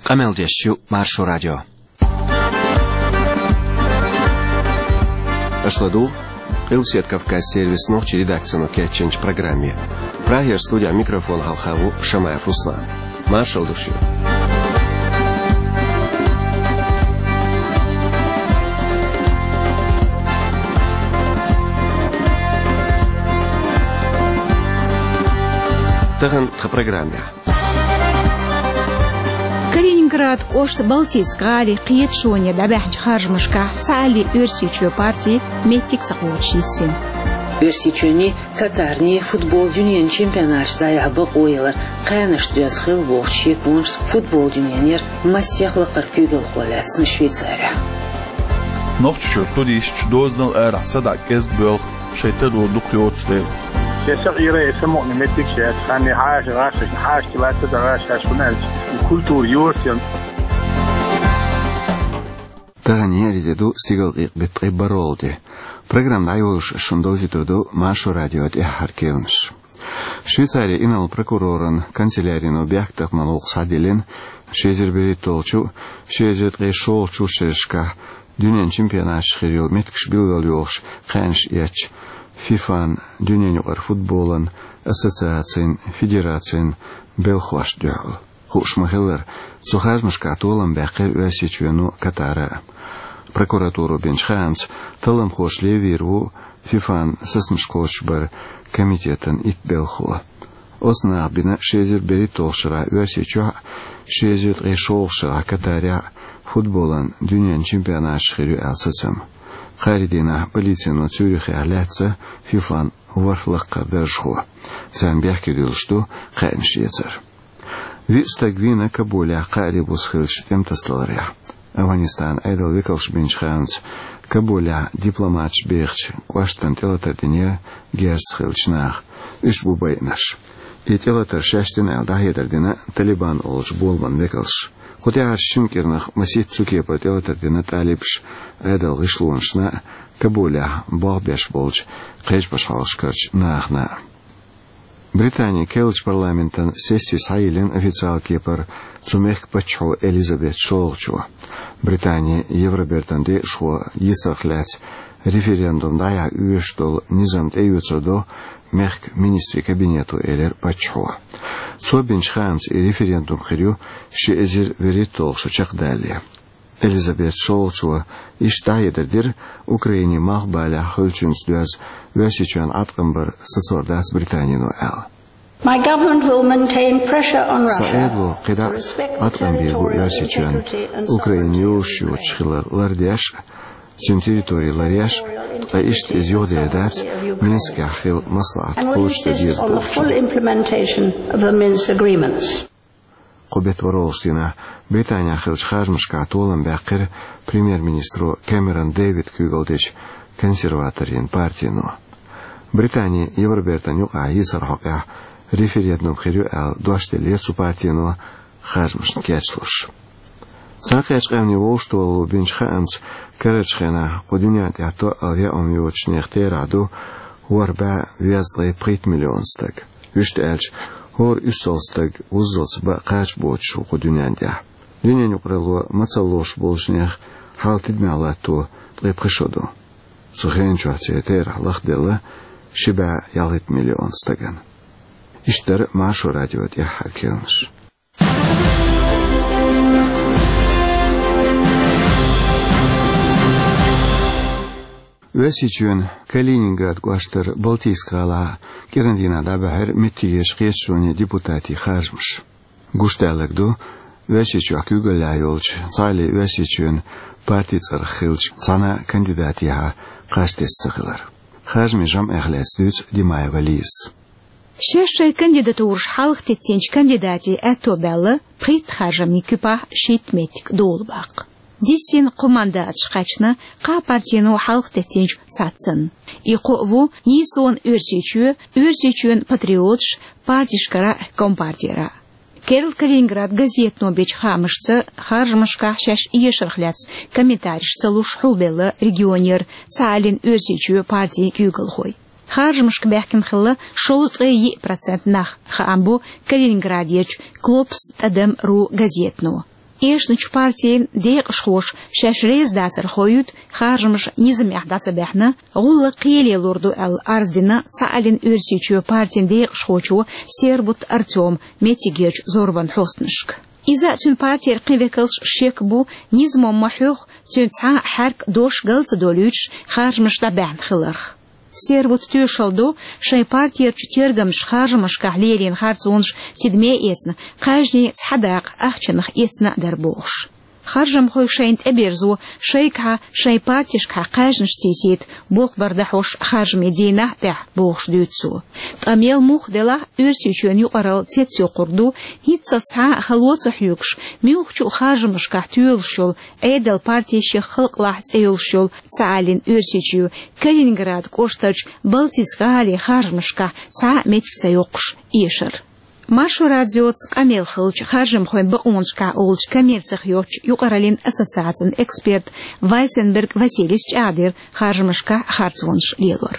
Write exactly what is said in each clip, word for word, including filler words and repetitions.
Къамел деш ю Маршо радио. Аша ладугӀу Къилбаседа Кавказан сервисан нохчийн редакцино кечйинчу программе. Прагера студехь микрофон хьалха ву Шамаев Руслан. Маршалла ду шуьга. Тахана тхан программехь. Калининград кӀоштан Балтийск-гӀалин кхеташоне дӀабаьхьначу харжамашкахь Цхьааллин Оьрсийчоь парти меттиг ца кхочуш йисина. Оьрсийчоьнний, Катарний футбол дуьненан чемпионаташ дӀаяхьа бакъо ялар кхаьнашна доьзна хилла бохучу шеконашца футбол дуьненера массех лакхара куьйгалхо лаьцна Швейцарехь. Нохчийчуьра туристаш дозанал арахь садаӀа кӀезиг боьлху, шайн таро дукха йоцу дела. Шен са Ӏийра, и самукъане меттигаш яц, ханне хьаша, гӀаш, хьаша, лаьцна ца гӀаш, хьаша, хӀунда аьлча культура йоцу ян. Тахана еарин де ду, стигалкъекъа беттан ткъе бархӀалгӀа де. Программа дӀайолош шуна довзуьйтур ду Маршо радион тӀаьххьара кхаьънаш. Швейцарин инарла прокуроран канцелярино бехктакхаман гӀуллакх схьадиллина, ши эзар берхӀитталгӀачу, ши эзар ткъе шолгӀачу шерашкахь дуьненан чемпионаташ хир йолу меттигаш билгалйохуш кхаьънаш эцначу ФИФАн, дуьненан юкъара футболан ассоциацин, федерацин белхалошна дуьхьал. Хууш ма-хиллара, цу харжамашкахь толам баьккхира Оьрсийчоьно, Катара а. Прокуратуро бинчу хаамца, талламхоша левийр ву ФИФАн сацамаш кхочушбаран комитетан итт белхало. Оцу наха бина ши эзар берхӀитталгӀачу шарахь Оьрсийчохь а, ши эзар ткъе шолгӀачу шарахь Катарехь а футболан дуьненан чемпионаташ хир ю аьлла сацам. Кхаарин дийнахь полицино Цюрихехь лаьцна ФИФАн ворхӀ лакхара даржхо. Царна бехке дуьллуш ду кхаьънаш эцар. Виъ стаг вийна Кабулехь кхаарин буса хиллачу тӀематасадаларехь. Афганистанан Ӏедалан векалша бинчу хаамца, Кабулехь дипломаташ бехачу кӀоштана тӀелатар динера герзаца хиллачу наха. Уьш бу байинарш. И тӀелатар шаьш дина аьлла дӀахьедар дина Талибан олучу боламан векалша. Кху тӀаьххьарчу шина кӀирнах масийтта цу кепара тӀелатар дина талибаша Ӏедалан гӀишлонашна а, Кабулехь болх беш болчу кхечу пачхьалкхашкарчу нахана а. Британин керлачу парламентан сесси схьайиллина официалан кепара цу мехкан паччахьо Элизабет шолгӀачо. Британин Евробертан декъашхо йийсарх лаьцна референдум дӀаяхьа оьшуш долу низам тӀеоьцур ду мехкан министрийн кабинето, элира паччахьо. Цо бинчу хаамца, и референдум хир ю ши эзар вуьрхӀитталгӀа шо чекхдалале. Элизабет шолгӀачо иштта дӀахьедар дира Украинин малхбалехь хуьлучуьнца доьзна Оьрсийчоьнна Ӏаткъам бар сацор дац Британино аьлла. My government will maintain pressure on Russia. Сан Ӏедало кхидӀа а Ӏаткъам бийр бу Оьрсийчоьнна, Украина йозуш йоцуш хилар лардеш а, цуьнан территори ларъеш а, ткъа иштта иза юхадер дац Минскехь хилла маслаӀат кхочушдан деза бохучунна. Кху беттан ворхӀалгӀачу дийнахь Британехь хиллачу харжамашкахь толам баьккхира премьер-министро Кэмерон Дэвида куьйгалла дечу консерваторийн партино. Британин Евробертан юкъахь йийсаран хьокъехь референдум хир ю аьлла дош деллера цу партино харжамашна кечлуш. Цхьаьнакхеттачу къаьмнийн вовшахтохаралло бинчу хаамца, карарчу хенахь кху дуьнен тӀехь тоъал яа хӀума йоцучу нехан терахь ду ворхӀ бӀе везткъе пхийтта миллион стаг. Вуьшта аьлча, хӀора уьссалгӀа стаг вуззалц бан кхача боцуш ву кху дуьнен тӀехь. Дуьненан юкъаралло мацалла лоруш болчу нехан хьал тидамехь латто ткъе пхи шо ду. Цу хенан чохь церан терахь лахделла ши бӀе ялхитта миллион стагана. Иштта дара Маршо радион тӀаьххьара кхаьънаш. Оьрсийчоьнан Калининград кӀоштара Балтийск-гӀалахь кӀиран дийнахь дӀабаьхьира меттигерчу кхеташонийн депутатийн харжамаш. Гуш даларг ду, Оьрсийчохь куьйгаллехь йолчу Цхьааллин Оьрсийчоьнан партин цӀарах хиллачу цхьана а кандидатехьа кхаж тесна ца хилар. Харжамийн жамӀех лаьцна дуьйцу Димаева Лизас. Шаьш шайн кандидатураш хьалха теттинчу кандидатийн аьтто баьлла пхийтта харжамийн куьпахь шийтта меттиг долу баккха. Дисина кхо мандаташ кхаьчна кхаа партино хьалха теттинчу цхьаццанна. И кхоъ ву Нийсонан Оьрсийчоь, Оьрсийчоьнан патриоташ, партешкара а, компартера а. Керла Калининград газетано бечу хаамашца, харжамашкахь шаьш эшарх лаьцна комментареш ца луш хьулбелла регионера Цхьааллин Оьрсийчоь партин куьйгалхой. Харжамашка баьхкина хилла шовзткъе йиъ процент нах, хаам бо Калининградерчу Клопс тӀадам ру газетано. Эшначу партийн декъашхоша шаьш реза дацар ховуьйту, харжамаш низамехь дӀа ца баьхьна, гӀуллакх кхеле лур ду аьлла, арз дина Цхьааллин Оьрсийчоь партийн декъашхочо Сервут Артёма меттигерчу зорбан хьостанашка. Иза а, цуьнан партера кхин векалш а шек бу, низамо ма хьоьху, цуьнан цхьа а хьаьрк, дош гал ца долуьйтуш, харжамаш дӀабаьхьна хиларх. Сервут тоьшалла до, шайн партерчу тергамчаша харжамашкахь лелийна харцонаш тидаме а эцна, кхаьжнийн цхьа дакъа ахчанах эцна а дара бохуш. Харжамхой шайна тӀеберзо, шайгахьа, шайн партешкахьа кхаьжнаш тийсийта болх бар дахьош харжамийн дийнахь а тӀехь, бохуш дуьйцу цо. Ткъа мел муха делахь, Оьрсийчоьнан юкъаралла цецйоккхург ду, хӀинццалц цхьа а хало ца хьоьгуш, муьлххачу а харжамашкахь тоьлуш йолу Ӏедал, партешех халкъалахь цӀе йолуш йолу Цхьааллин Оьрсийчоь Калининград кӀоштарчу Балтийск гӀалин харжамашкахь цхьа а меттиг ца йоккхуш эшар. Маршо радиоца къамел хиллачу харжамхойн бакъонашкахь олучу коммерцех йоцчу юкъараллин ассоциацин эксперт Вайсенберг Василийс чӀагӀдира харжамашкахь харцонаш лелор.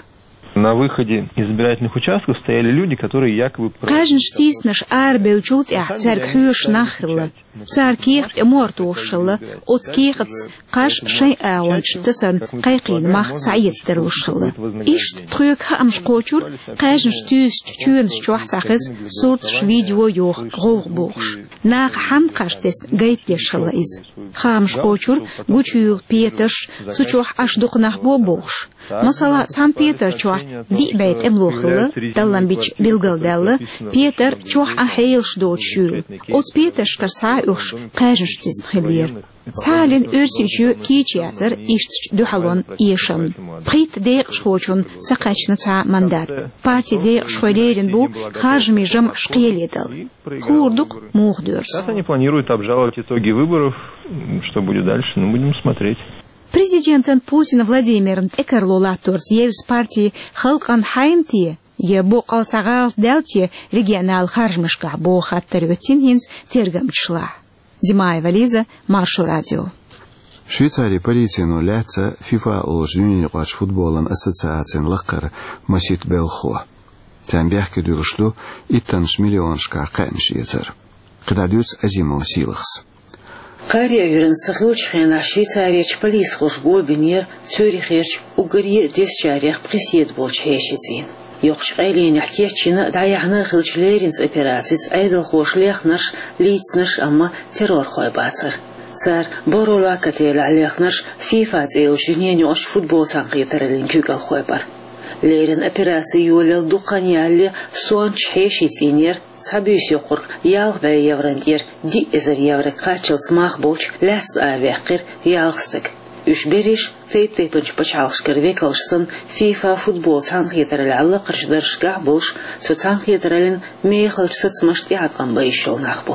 На выходе из избирательных участков стояли люди, которые якобы... Кхаьжнаш тийсинарш арабевллачул тӀаьхьа цаьрга хьоьжуш нах хилла. Цара кехат тӀе мохь тосуш хилла, оцу кехатца кхаж шайн агӀончашна тасарна кхайкхийна мах схьаэца тарлуш хилла. Иштта тхоьга хаамаш кхочура, кхаьжнаш туьйсучу чоьнаш чохь схьахеза сурташ, видео йоху гӀовгӀа бохуш. Наха хьанна кхаж тесна гайта деш хилла иза. Хаамаш кхочура, гучуйолу петарш, цу чохь Ӏаш дукха нах бо бохуш. Масала, цхьана петар чохь виъ бӀе тӀемало хилла, таллам бича билгалдаьлла, петар чохь Ӏан хьелаш доцуш йолу. Оцу петаршкара схьа а оьхуш, кхаьжнаш тесна хиллера. Цхьааллин Оьрсийчоь кийча яцара ишттачу дуьхьалонан эшамна. Пхийтта декъашхочунна ца кхаьчна цхьа а мандат. Партин декъашхой лерина бу харжамийн жамӀаш кхеле дала. Хуур ду-кх муха доьрзу. Сейчас они планируют обжаловать итоги выборов. М, что будет дальше, ну, будем смотреть. Президентан Путин Владимиран тӀекарло латторца евза парти халкъана хьайна те, я боккъал цхьа гӀалат даьлла те регионал харжамашкахь, боху хаттар хӀоьттина хӀинца тергамчашлахь. Димаева Лиза, Маршо радио. Швейцарин полицино лаьцна ФИФА олучу дуьненаюкъарчу футболан ассоциацин лакхара масийтта белхахо. Царна бехке дуьллуш ду иттаннаш миллионашкахь кхаьънаш эцар. КхидӀа дуьйцу Азимова Сийлахьас. Кхаарин Ӏуьйранна ца хиллачу хенахь Швейцарерчу полисхоша го бинера Цюрихерчу уггаре а дезачарех пхи седа болчу хьешийн цӀийнан. Йоккхачу къайленехь кечйина а, дӀаяьхьна а хиллачу лерринчу операцица Ӏедалхоша лехнарш лийцинарш, амма террорхой бацара. Цара Боро-Лак отелехь лехнарш ФИФА цӀе йолчу дуьненаюкъарчу футбол цхьаьнакхетараллин куьйгалхой бара. Леррина операци йолаелла дукха хан ялале сонташ хьешийн цӀийнера, цхьа буьйса йоккхург ялх бӀе еврон тӀера диъ эзар еврога кхаччалц мах болчу лаьцна араваьккхира ялх стаг. Уьш берриш тайп-тайпанчу пачхьалкхашкара векалш санна, ФИФА футбол цхьаьнакхетараллехь лакхарчу даржашкахь болуш, цу цхьаьнакхетараллин мехалчу сацамашна тӀеӀаткъам бан йиш йолу нах бу.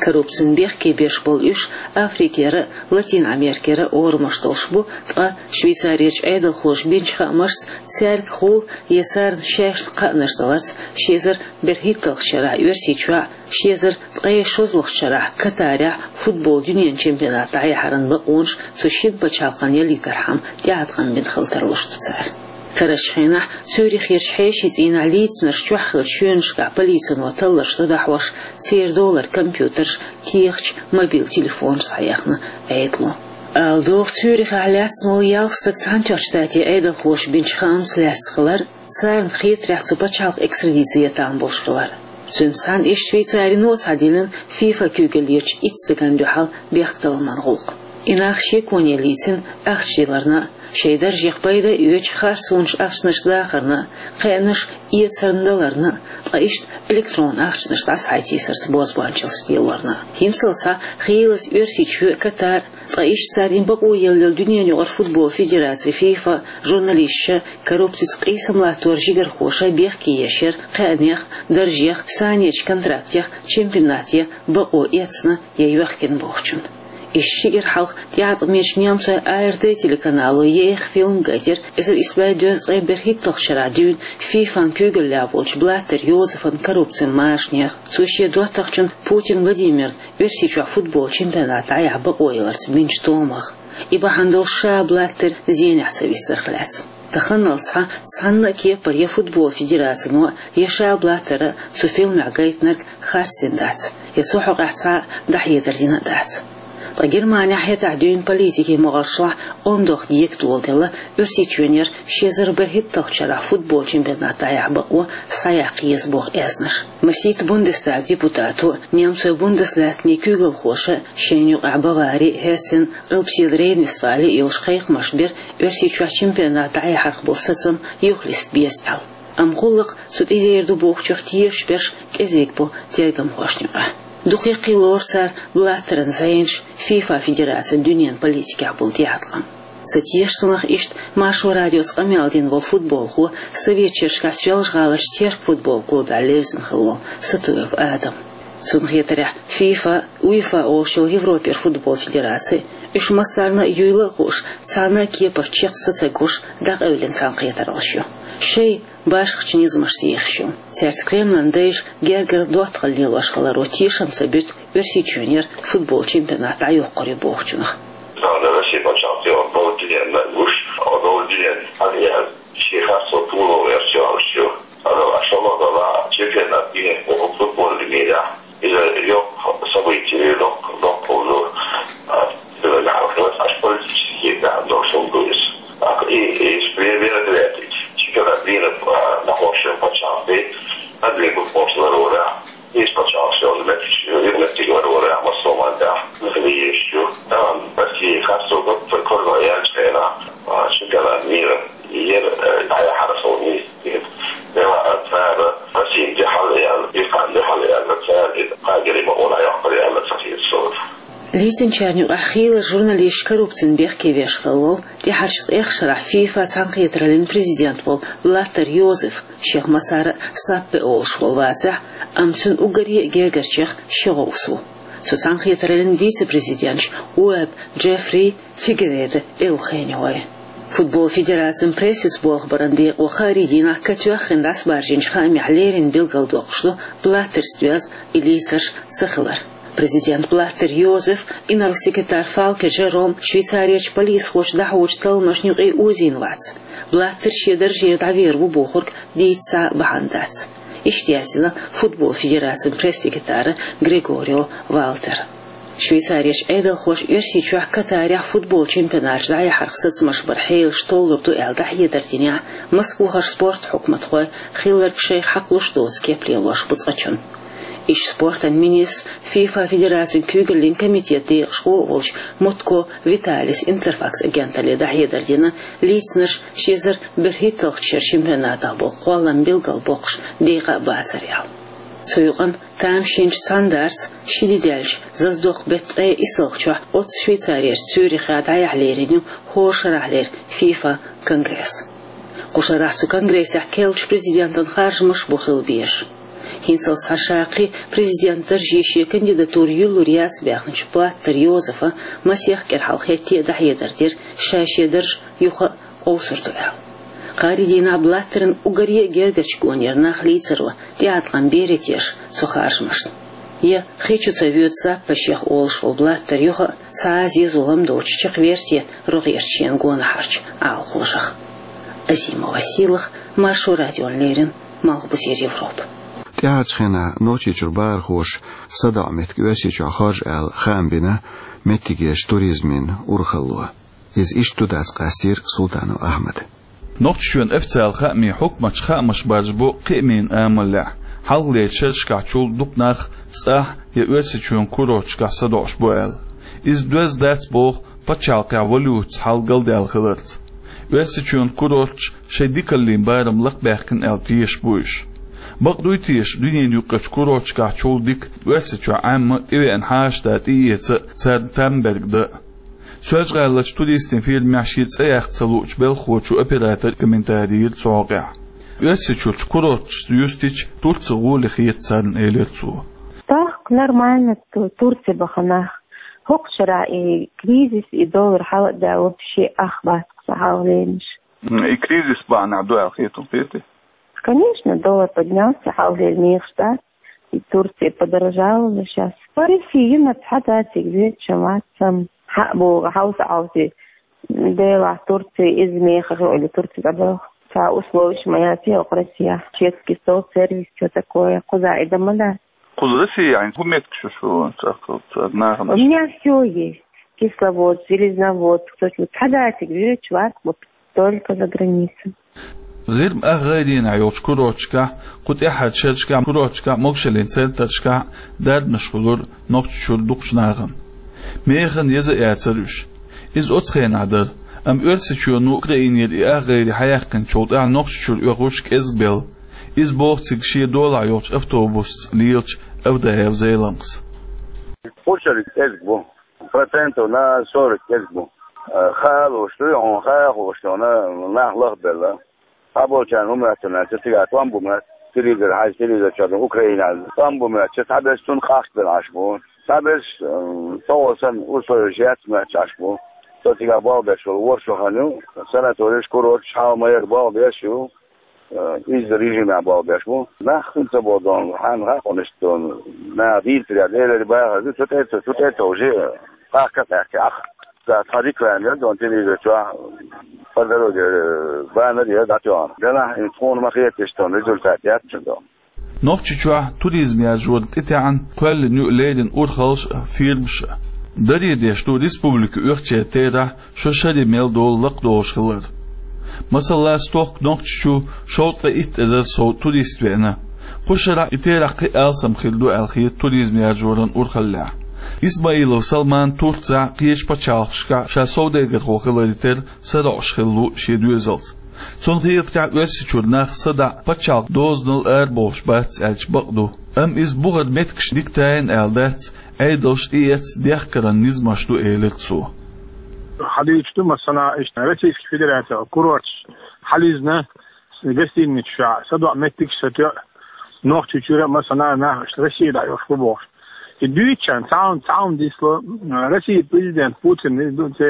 Коррупцина бехке беш болу уьш Африкера а, Латин Америкера а орамаш долуш бу, ткъа Швейцарерчу Ӏедалхоша бинчу хаамашца, цаьргахула я царна шайшна кхаънаш даларца, ши эзар берхӀитталгӀачу шарахь Оьрсийчохь, ши эзар ткъе шолгӀачу шарахь Катарехь футбол дуьненан чемпионат дӀаяхьаран бакъонаш цу шина пачхьалкхана ялийтархьама тӀеӀаткъам бина хила тарлуш ду цара. Карарчу хенахь Цюрихерчу хьешийн цӀийнахь лийцинарш чохь хиллачу чоьнашкахь полицино талларш дӀадохьош, церан долара компьютерш, кехаташ, мобил телефонаш схьаяьхна Ӏедало. Ала догӀу, Цюрихехь лаьцна волу ялх стаг Цхьаьнатоьхначу Штатийн Ӏедалхоша бинчу хаамца лаьцна хилар, царна хетарехь цу пачхьалкхе экстрадици ян там болуш хилар. Цуьнца цхьаьна иштта Швейцарино схьадиллина ФИФА куьйгаллерчу итт стагана дуьхьал бехктакхаман гӀуллакх. И нах шеконе лийцина ахча диларна а, шайн даржех пайда а оьцуш харцонаш ахчанаш дахарна а, кхаьънаш эцарна даларна а, ткъа иштта электронан ахчанаш дӀасахьайсарца бозбуанчаллаш лелорна а. ХӀинццалц цхьа хийлаза Оьрсийчоь а, Катар а, ткъа иштта царна бакъо елла йолу дуьненаюкъара футбол федераци ФИФА журналисташа, коррупцица къийсам латтор жигархоша бехке еш яра кхаьънех, даржех, санечу контрактех, чемпионате бакъо эцна я йоьхкина бохучунна. Иштта ши кӀира хьалха тӀеӀаткъамечу немцойн АРД телеканало еха фильм гайтира эзар исс бӀе дезткъе берхӀитталгӀачу шарахь дуьйна ФИФАн куьйгаллехь волчу Блаттер Йозефан коррупцин машанех, цо шен доттагӀчун Путин Владимиран Оьрсийчохь футбол чемпионат дӀаяхьа бакъо яларца бинчу томах. И бахьана долуш ша Блаттер зенехь ца виссарх лаьцна. Таханалц цхьа, цхьанна а кепара я футбол федерацино, я ша Блаттера цу фильмехь гайтинарг харцдина дац, я цу хьокъехь цхьа а дӀахьедар дина а дац. Ткъа Германехь хӀетахь дуьйна политикин могӀаршлахь ондох дегадоладелла, Оьрсийчоьнера ши эзар берхӀитталгӀачу шарахь футбол чемпионат дӀаяхьа бакъо схьаяккха еза боху аьзнаш. Масийтта Бундестаг депутато, немцойн бундеслаьттанийн куьйгалхоша шайна юкъахь Бавари, Хессен, Къилбаседа Рейн-Вестфали йолуш кхайкхамаш бира Оьрсийчохь чемпионат дӀаяхьарх болу сацам юхалиста беза аьлла. Амма гӀуллакх цу тӀедер ду бохучух тешаш берш кӀезиг бу тергамхошна юкъахь. Дукха яккхий лору цара Блаттеран зӀенаш ФИФА федерацин дуьненан политикехь болу тӀеӀаткъам. Ца теша цунах иштта Маршо радиоца къамел дина волу футболхо, Советчерчкахь Соьлжа-ГӀаларчу Терк футбол клубехь левзина хилла волу Сатуев Адам. Цунна хетарехь, ФИФА, УЕФА олуш йолу Европера футбол федераци, уьш массарна а юйла а хууш, цхьана а кепара чекх са ца гуш, дӀакъевлина цхьаьнакхетараллаш ю. Шайн башхачу низамашца ехаш ю. Цаьрца Кремлан дайша гергара доттагӀалла лелош хиларо тешам ца буьту Оьрсийчоьнера футбол чемпионат дӀайоккхур ю бохучунах. Цхьана Россия пачхьалкхе оцу долу диненна гуш, оцу долу диненна хьан яьлла, шен харцо пуло верча йолуш ю. Аса аш шолгӀа дала чемпионат динехь боху футбольный мирехь. Иза йоккха событие, йоккха, йоккха хӀума ду. А, иза гӀалхалц аш политический гӀан долуш хӀума ду иза. ТӀаккха и, и, и мероприятие, чемпионат мира, а, нахошан пачхьалкхе, адвигу пошла рора. Иза пачхьалкхаш йолу меттигаш, юкъаметтиг вара вара, массо а маттахь, нахана еш ю. Тахана Россия харцо гуттар а кура яьллачу хенахь, а, чемпионат мира, яра, э, дӀаяхьара хьуна. Дела а цара Россин дуьхьал яьлла, Иран дуьхьал яьлла, цара и кхагири ма вала йоккхур яьлла ца хета суна. Лийцинчарна юкъахь хийла журналисташ коррупцина бехке веш хилла волу, тӀаьхьарчу ткъех шарахь ФИФА цхьаьнакхетараллин президент волу Блаттер Йозеф, шех массара а Саппе олуш волу вацахь, амма цуьнан уггаре а гергарчех ши гӀовс ву. Цу цхьаьнакхетараллин вице-президенташ Уэбб Джеффри, Фигередо Эухенио. Футбол федерацин прессица болх баран декъо кхаарин дийнахь катоьххина дӀасабаржийначу хаамехь леррина билгалдоккхуш ду Блаттерца доьзна и лийцарш ца хилар. Президент Блаттер Йозеф, инарла секретарь Фалке Жером Швейцарерчу полисхоша дӀахьочу талламашна юкъе озийна вац. Блаттер шен даржера дӀавер ву бохург дийца цхьа а бахьана дац. Иштта яздина футбол федерацин пресс-секретара Грегорио Валтера. Швейцарерчу Ӏедалхоша Оьрсийчохь Катарехь футбол чемпионаташ дӀаяхьарх сацамаш баран хьелаш толлур ду аьлла дӀахьедар динехь, Москвахара спорт хьукматхой хилларг шайх хьакхалуш доцу кеп лелош бу цкъачунна. Иштта спортан министр, ФИФА федерацин куьйгаллин комитет декъашхо а волчу Мутко Виталис Интерфакс агенталле дӀахьедар дина, лийцинарш ши эзар берхӀитталгӀачу шеран чемпионатах болу кхоллам билгалбоккхуш декъа а бацара аьлла. Цу юкъанна тамашийначу цхьанадарца ши де даьлча, заздоккху беттан ткъе иссалгӀачохь оццу Швейцарерчу Цюрихехь дӀаяхьа лерина ю хӀора шарахьлера ФИФА конгресс. Кху шарахь цу конгрессехь керлачу президентан харжамаш бу хила безаш. ХӀинцалц цхьа шаккхе президент дарже шен кандидатура юьллур яц баьхначу Блаттер Йозефа масех кӀира хьалха хӀетте а дӀахьедар дира, ша шен дарж юха а къовсур ду аьлла. Кхаарин дийнахь Блаттеран уггаре а гергарчу гонера нах лийцаро тӀеӀаткъам берий теша цу харжамашна? Я хи чу ца воьду Саппе шех олуш волу Блаттер юха а цхьа а зен-зулам доцуш чекхвер те рогӀерчу шен гонахьарчу Ӏалашонах? Азимова Сийлаха, Маршо радиона леррина, Малхбузера Европа. ТӀаьхьарчу хенахь Нохчийчуьра бахархоша садоӀу меттиг Оьрсийчохь хоржу аьлла хаам бина меттигерчу туризмин урхалло. Иза иштта ду дац къастийра Султанов Ахьмада. Нохчийчоьнан официалан хаамийн хьукматаш хаамаш баржабо кхиамийн амалехь, хьалхалерчу шерашкахьчул дукха нах цӀахь я Оьрсийчоьнан курорташкахь садоӀуш бу аьлла. Иза доьзна дац боху пачхьалкхехь валютаца хьал галдаьлла хиларца. Оьрсийчоьнан курорташ шайн дикаллин барам лакхабаьхкина аьлла тешаш бу уьш. Бакъ дуй теша, дуьненан юккъерчу курорташкахьчул дика Оьрсийчохь Ӏемма тӀевеана хьаша да тӀеэца а, царна там берг дан а? Соьлжа-ГӀаларчу туристийн фирмехь шен цӀе яккха ца луучу белхахочо операторе комментарий йира цу хьокъехь. Оьрсийчуьрчу курорташца юьстича, Турци гӀоле хета царна, элира цо. Так, нормально, Ту-, Турци баха нах. ХӀокху шарахь и кризис, и доллар хьала а даьлла, вообще ах бац кху сан хьалхалернаш. М, и кризис бахьанехь ду аьлла хетий, хетий? Конечно, доллар поднялся, хьалхалера мехаш дац. И Турция подорожала уже щас. По России йина цхьа дациг веча мацам. Хьа бу хьовса хьовси. Делахь Турция иза мехах ю или Турция дӀабоьлху. Цхьа условиш ма яц йоккху Россия. Чешский стол, сервис, чё такое? Кхуза и дама дац. Кхуза Россия, хӀун меттиг шу, шу, ца, ца, нахана? У меня всё есть. Кисловодск, Железноводск, то есть вот цхьа датиг вирич варх вот только за границей. ГӀирма ах гӀайренахь йолчу курорташкахь, кху тӀаьххьарчу шерашкахь курорташкахь, могушаллин центрашкахь дарбанаш хуьлура Нохчийчуьра дукхачу нахана. Механа еза а яцара уьш. Иза оцу хенахь дара, амма Оьрсийчоьно Украинера и ах гӀайре хьаяьккхинчул тӀаьхьа Нохчийчуьра оьхуш кӀезгбелла. Иза боху цига шен долахь йолчу автобусца лелачу Авдаев Зеламхас. Кхушара кӀезиг бу. Процентов на сорок кӀезиг бу. Э, хаалуш ду, хьуна хаахуш ду, хьуна нах лахбелла. Цхьаболчарна хӀума моьтту, цигахь тӀом бу моьтту, телевизор хьаьжча, телевизор чохь ду, Украина тӀом бу моьтту, цхьаберш цунна къахкабелла Ӏаш бу. Цхьаберш, э, тӀехула санна, условиеш яц моьттуш Ӏаш бу. Со цигахь болх беш волу ворхӀ шо хан ю, санаториш, курорташ, хьалха ма-ярра болх беш ю. Э, иза режимехь болх беш бу. Нах хӀинца боху дона, хьанна хаьа хьуна иштта дона? Наха дийцарехь, Делера бахархой, цу тӀе, цу тӀе а товжий, къахка а къаьхкина Ӏа. Ца тхан реклама яра дона телевизор чохь, по дороге, э, баннер яра дӀатоьхна. Делахь, хӀинца тхуна ма хета иштта дона, результат яц цуьнан дона. Нохчийчохь туризм яржорна тӀетаьӀна кхоьллина ю леррина урхаллаш а, фирмаш а. Даре деш ду республика оьхучеран терахь шо шаре мел долу лакхадолуш хилар. Масала, стохка Нохчийчу шовзткъе итт эзар сов турист веана. Кху шарахь и терахь кхин а алсам хир ду аьлла хета туризм яржоран урхаллехь. Исмаилов Салман Турцехь, кхечу пачхьалкхашкахь ша совдегархо хиларе терра сароӀуш хилла ву шен доьзалца. Цунна хетарехь, Оьрсийчуьра нах садаӀа пачхьалкхан дозанал арабовлуш бац аьлча бакъ ду. Амма иза бухара меттигаш дика тайна аьлла дац, Ӏедалш тӀеэцна дехкаран низамаш ду, элира цо. Хьадуьйцуш ду, масала, иштта Российский Федерацин курорташ хьализна, гостиницаш чохь садоӀу меттигаш сатоьу, Нохчийчуьра, масала, нах иштта Россия дӀайолуш бу бохуш. И дуьйцучарна цхьа хӀума, цхьа хӀума дисло, Россин президент Путин, ду-, те,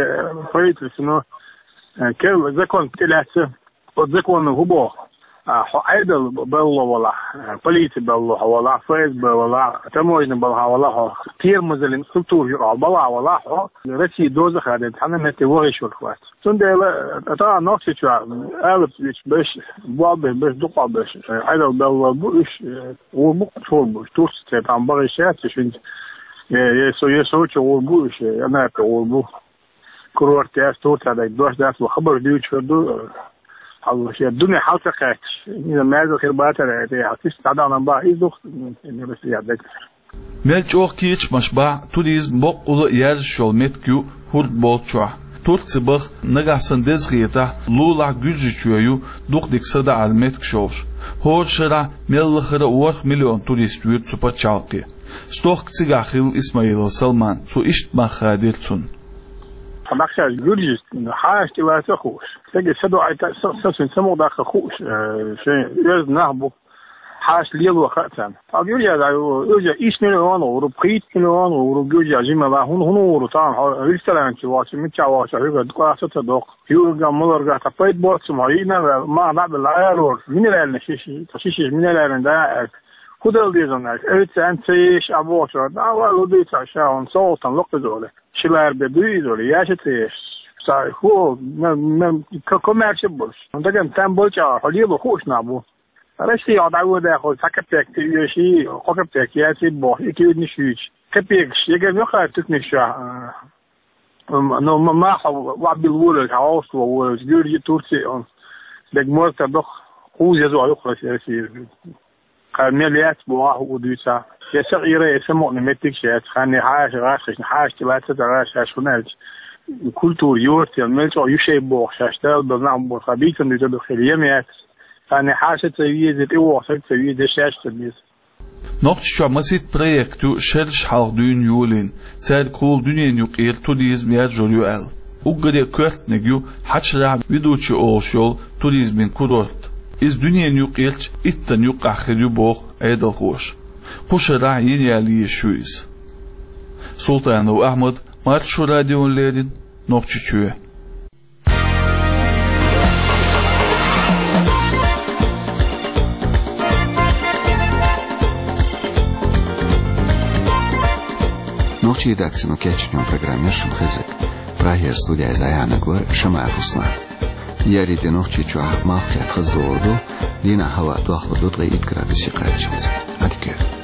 правительствоно, э, керла закон тӀелаьцна, оцу законо хӀун боху? А, хьо Ӏедал балло валахь, а, полици балло хьо валахь, ФСБ валахь, таможня балхахь валахь хьо, термозаллин структура юкъахь балхахь валахь хьо, Россин доза а хадийна, цхьана а метте вахийтур вац. Цундела, а, тахана Нохчийчохь алапа вича берш, болх беш берш, дукха болх беш, э, Ӏедал балло бу уьш, э, гӀур бу, чур бу уьш, Турци церан тӀам бахийтуш яц уьш хӀинца, э, э, со, э, Сочи гӀур бу уьш, э, Анапе гӀур бу. Курорт яц, Турцехь дерг дош дац, вай хабар дуьйцуш хир ду, хьалха шен дуьне хьал ца кхаьчча, иза маьрза хир бацара, тӀе хьалха иштта дӀадахана бахьа, иза ду-кх, м, м, м, м, м. Мел чӀогӀа кечамаш бахь, туризм боккъала а яржаш йолу меттиг ю хӀорд болчохь. Турци баха, нагахь санна деза хетахь, лулахь Гуьржийчоь ю дукха дика садаӀаран меттигаш йолуш. ХӀора шарахь мел лахара а ворхӀ миллион турист вуьру цу пачхьалкхе. Стохка цигахь хилла Исмаилов Салман, цо иштта мах хадийра цунна. Хьан нах шаьш гуьржаш хьаша тӀелаца а хууш. Стеган са доӀийта, са, са шайн самукъадаккха хууш, э, шайн оьзда нах бу. Хьаша лело хаьа царна. Ткъа гуьржаш, э, уьш ишт миллион гӀур бу, пхийтта миллион гӀур бу гуьржаш жимала. ХӀун, хӀун гӀур бу царна, хьо ресторан чу вахча, мичча вахча, хьоьга дукха сацо доккху. Юрган, маларгахь тхан пайда боцу ма, йина, ма, наб ла аьлла, минеральный шиш, шиш, минеральный да, аьлла. ХӀун дала деза аьлла, оьцу царна ца еш а бохучу, да, ва, лу дуьйцу ша, хӀун, со волтан локхуза оле. Шилар бе дуй иза оле, яша ца еш. Са, ху, ма, ма, ка-, коммерчи болуш. Даган там болча, хьо лело хууш нах бу. Россия дӀавоьдехь, цхьа капек тӀеоьший, кхо капек яций боху, и куьйранаш юьйцуш. Капекаш, егар муьлхха туьканаш чохь, а, м-, ну, м-, маха вабил волавелча, хьан гӀовсто волавелча, Гуьржи, Турци, он, дерг морта доху, хӀуза язо юкъа Россия. Кхара мел яц боху, хӀун дуьйцахь. Я сакъера, я самукъане меттигаш яц, ханне хьаша гӀаш, хьаша тӀелаца ца гӀаш, шаьш хӀун аьлча. Культура йоцу, я мел чӀогӀа ю шайн боху, шаьш Дала база нах боху, ха бийцан дуьйцу ду хир, ем яц. Ханне хьаша ца веза, тӀевогӀу саг ца веза, шаьш ца веза. Нохчийчохь масийтта проект ю шераш хьалха дуьйна йолийна, цаьрга хӀула дуьненан юкъера туризм яржор ю аьлла. Уггаре а коьртаниг ю Хьачарахь Ведучи олуш йолу туризмин курорт. Иза дуьненан юкъерчу иттанна юккъехь хир ю боху Ӏедалхоша. Кху шарахь йина яла езаш ю иза. Султанов Ахьмад, Маршо радиона леррина, Нохчийчоь. Нохчийн редакцино кечйинчу программера шуна хезира. Прагера студехь зӀе яьхьнарг вара Шамаев Руслан. Еарин де Нохчийчохь малх-кхетта хаза догӀур ду, дийнахь хӀаваъ дохлур ду ткъе итт градусе кхаччалц. Ӏадика йойла.